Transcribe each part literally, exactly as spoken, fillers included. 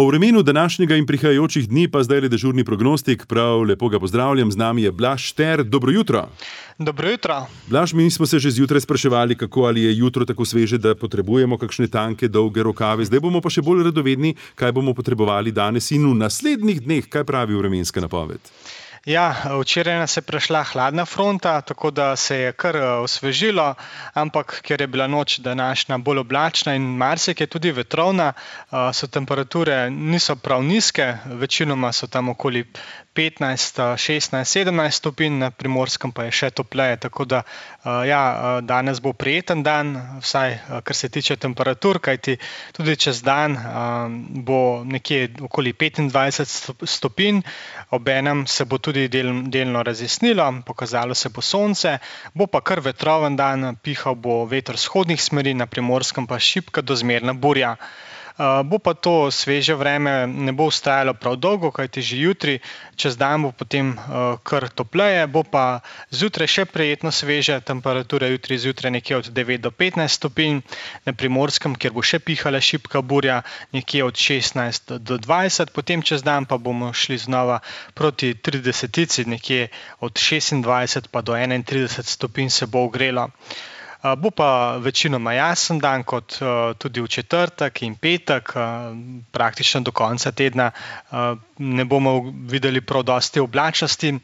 O vremenu današnjega in prihajajočih dni pa zdaj le dežurni prognostik. Prav lepo ga pozdravljam, z nami je Blaž Šter. Dobro jutro. Dobro jutro. Blaž, mi smo se že zjutraj spraševali, kako ali je jutro tako sveže, da potrebujemo kakšne tanke, dolge rokave. Zdaj bomo pa še bolj radovedni, kaj bomo potrebovali danes in v naslednjih dneh. Kaj pravi vremenska napoved? Ja, včeraj nas je prešla hladna fronta, tako da se je kar osvežilo, ampak ker je bila noč današnja bolj oblačna in marsikje tudi vetrovna, so temperature niso prav nizke, večinoma so tam okoli petnajst, šestnajst, sedemnajst stopinj, na Primorskem pa je še topleje, tako da ja, danes bo prijeten dan, vsaj kar se tiče temperatur, kajti tudi čez dan bo nekje okoli petindvajset stopinj, obenem se bo tudi del, delno razjasnilo, pokazalo se bo sonce, bo pa kar vetroven dan, pihal bo veter vzhodnih smeri, na Primorskem pa šibka do zmerna burja. Uh, bo pa to sveže vreme, ne bo vztrajalo prav dolgo, kajti že jutri, čez dan bo potem uh, kar topleje, bo pa zjutraj še prijetno sveže, temperature jutri zjutraj nekje od devet do petnajst stopinj, na Primorskem, kjer bo še pihala šibka burja, nekje od šestnajst do dvajset, potem čez dan pa bomo šli znova proti tridesetici, nekje od šestindvajset pa do enaintrideset stopinj se bo ogrelo. Bo pa večinoma jasen dan, kot tudi v četrtek in petek, praktično do konca tedna ne bomo videli prav dosti oblačnosti.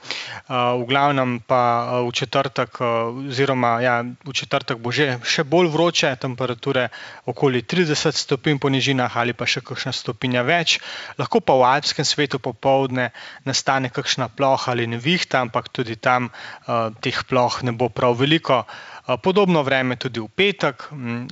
V glavnem pa v četrtek, oziroma ja, v četrtek bo že še bolj vroče, temperature okoli trideset stopinj po nižinah ali pa še kakšna stopinja več. Lahko pa v alpskem svetu popoldne nastane kakšna ploha ali nevihta, ampak tudi tam teh ploh ne bo prav veliko. Podobno vreme tudi v petek,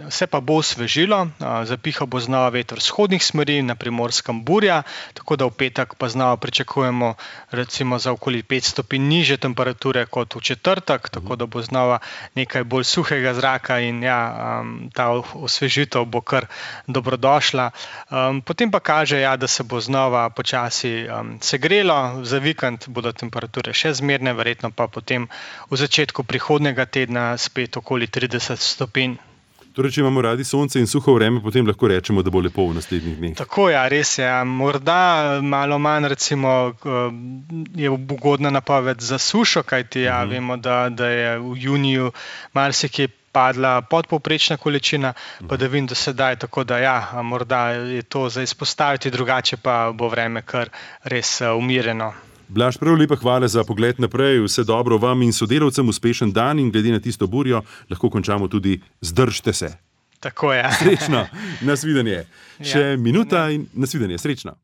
se pa bo osvežilo, zapihal bo znova veter vzhodnih smeri, na Primorskem burja, tako da v petek pa znova pričakujemo recimo za okoli pet stopinj nižje temperature kot v četrtek, tako da bo znova nekaj bolj suhega zraka in ja, ta osvežitev bo kar dobrodošla. Potem pa kaže, ja, da se bo znova počasi segrelo, za vikend bodo temperature še zmerne, verjetno pa potem v začetku prihodnjega tedna spet okoli trideset stopinj. Torej, če imamo radi sonce in suho vreme, potem lahko rečemo, da bo lepo v naslednjih dneh. Tako, ja, res je. Morda malo manj, recimo, je ugodna napoved za sušo, kajti ja, uh-huh. vemo, da, da je v juniju marsikje padla podpovprečna količina, pa da vim do sedaj, tako da ja, morda je to za izpostaviti, drugače pa bo vreme kar res umirjeno. Blaž, prav lepa hvala za pogled naprej, vse dobro vam in sodelavcem, uspešen dan in glede na tisto burjo, lahko končamo tudi zdržte se. Tako je. Srečno, nasvidenje. Še Ja, minuta in nasvidenje, srečno.